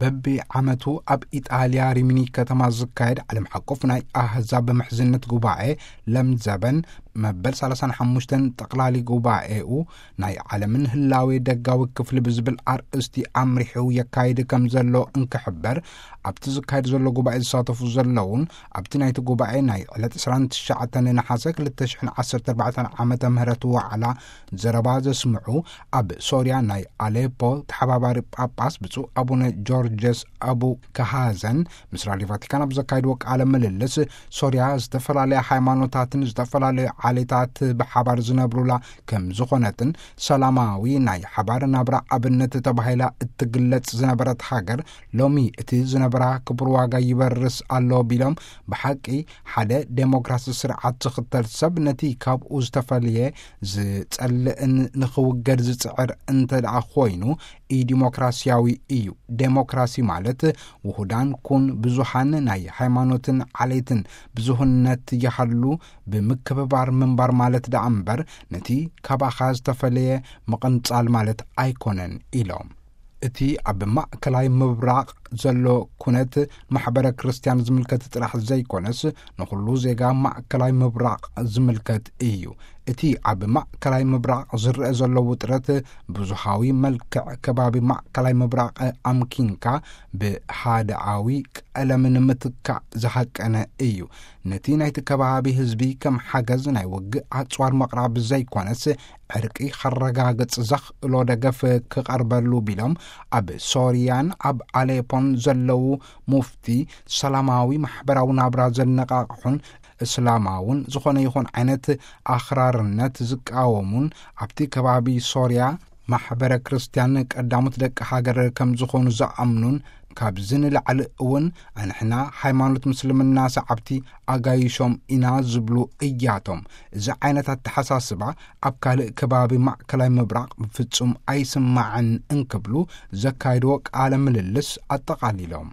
በቢ ዓመቱ ኣብ ኢጣልያ ሪሚኒ ከተማ ዝካየድ ዓለም ሓቆፍ ናይ ኣህዛብ ምሕዝነት ጉባኤ ለምዘበን መበል ሰላሳን ሓሙሽተን ጠቕላሊ ጉባኤኡ ናይ ዓለምን ህላዌ ደጋዊ ክፍሊ ብዝብል ኣርእስቲ ኣምሪሑ የካይድ ከም ዘሎ እንክሕበር፣ ኣብቲ ዝካየድ ዘሎ ጉባኤ ዝሳተፉ ዘለውን ኣብቲ ናይቲ ጉባኤ ናይ ዕለት ዕስራን ትሽዓተን ነሓሰ ክልተ ሽሕን ዓሰርተ ኣርባዕተን ዓመተ ምህረት ዋዕላ ዘረባ ዘስምዑ፣ ኣብ ሶርያ ናይ ኣሌፖ ተሓባባሪ ጳጳስ ብፁዕ ኣቡነ ጆርጀስ ኣቡ ከሃዘን ምስ ራድዮ ቫቲካን ኣብ ዘካየድዎ ቃለ ምልልስ፣ ሶርያ ዝተፈላለያ ሃይማኖታትን ዝተፈላለዩ ዓሌታት ብሓባር ዝነብሩላ ከም ዝኾነትን፣ ሰላማዊ ናይ ሓባር ናብራ ኣብነት ተባሂላ እትግለጽ ዝነበረት ሃገር፣ ሎሚ እቲ ዝነበራ ክቡር ዋጋ ይበርስ ኣሎ ቢሎም፣ ብሓቂ ሓደ ዴሞክራሲ ስርዓት ዝኽተል ሰብ ነቲ ካብኡ ዝተፈልየ ዝጸልእን ንኽውገድ ዝጽዕር እንተ ደኣ ኮይኑ፣ ኢዲሞክራሲያዊ እዩ። ዴሞክራሲ ማለት ውሁዳን ኩን ብዙሃን ናይ ሃይማኖትን ዓሌትን ብዙህነት ይሃሉ ብምክብባር ምንባር ማለት ደኣ እምበር፣ ነቲ ካባኻ ዝተፈለየ ምቕንጻል ማለት ኣይኮነን ኢሎም። እቲ ኣብ ማእከላይ ምብራቕ ዘሎ ኩነት ማሕበረ ክርስቲያን ዝምልከት ጥራሕ ዘይኮነስ፣ ንኹሉ ዜጋ ማእከላይ ምብራቕ ዝምልከት እዩ። እቲ ኣብ ማእከላይ ምብራቕ ዝረአ ዘሎ ውጥረት ብዙሃዊ መልክዕ ከባቢ ማእከላይ ምብራቕ ኣምኪንካ ብሃድኣዊ ቀለም ንምትካእ ዝሃቀነ እዩ። ነቲ ናይቲ ከባቢ ህዝቢ ከም ሓገዝ ናይ ውግእ ኣጽዋር ምቕራብ ዘይኮነስ፣ ዕርቂ ከረጋግጽ ዘኽእሎ ደገፍ ክቐርበሉ ቢሎም፣ ኣብ ሶርያን ኣብ ኣሌፖን ዘለዉ ሙፍቲ ሰላማዊ ማሕበራዊ ናብራ ዘነቓቕሑን እስላማውን ዝኾነ ይኹን ዓይነት ኣኽራርነት ዝቃወሙን፣ ኣብቲ ከባቢ ሶርያ ማሕበረ ክርስቲያን ቀዳሞት ደቂ ሃገር ከም ዝኾኑ ዝኣምኑን፣ ካብዚ ንላዕሊ እውን ኣንሕና ሃይማኖት ምስልምና ሰዓብቲ ኣጋይሾም ኢና ዝብሉ እያቶም። እዚ ዓይነት ኣተሓሳስባ ኣብ ካልእ ከባቢ ማእከላይ ምብራቕ ብፍጹም ኣይስማዕን እንክብሉ ዘካየድዎ ቃለ ምልልስ ኣጠቓሊሎም።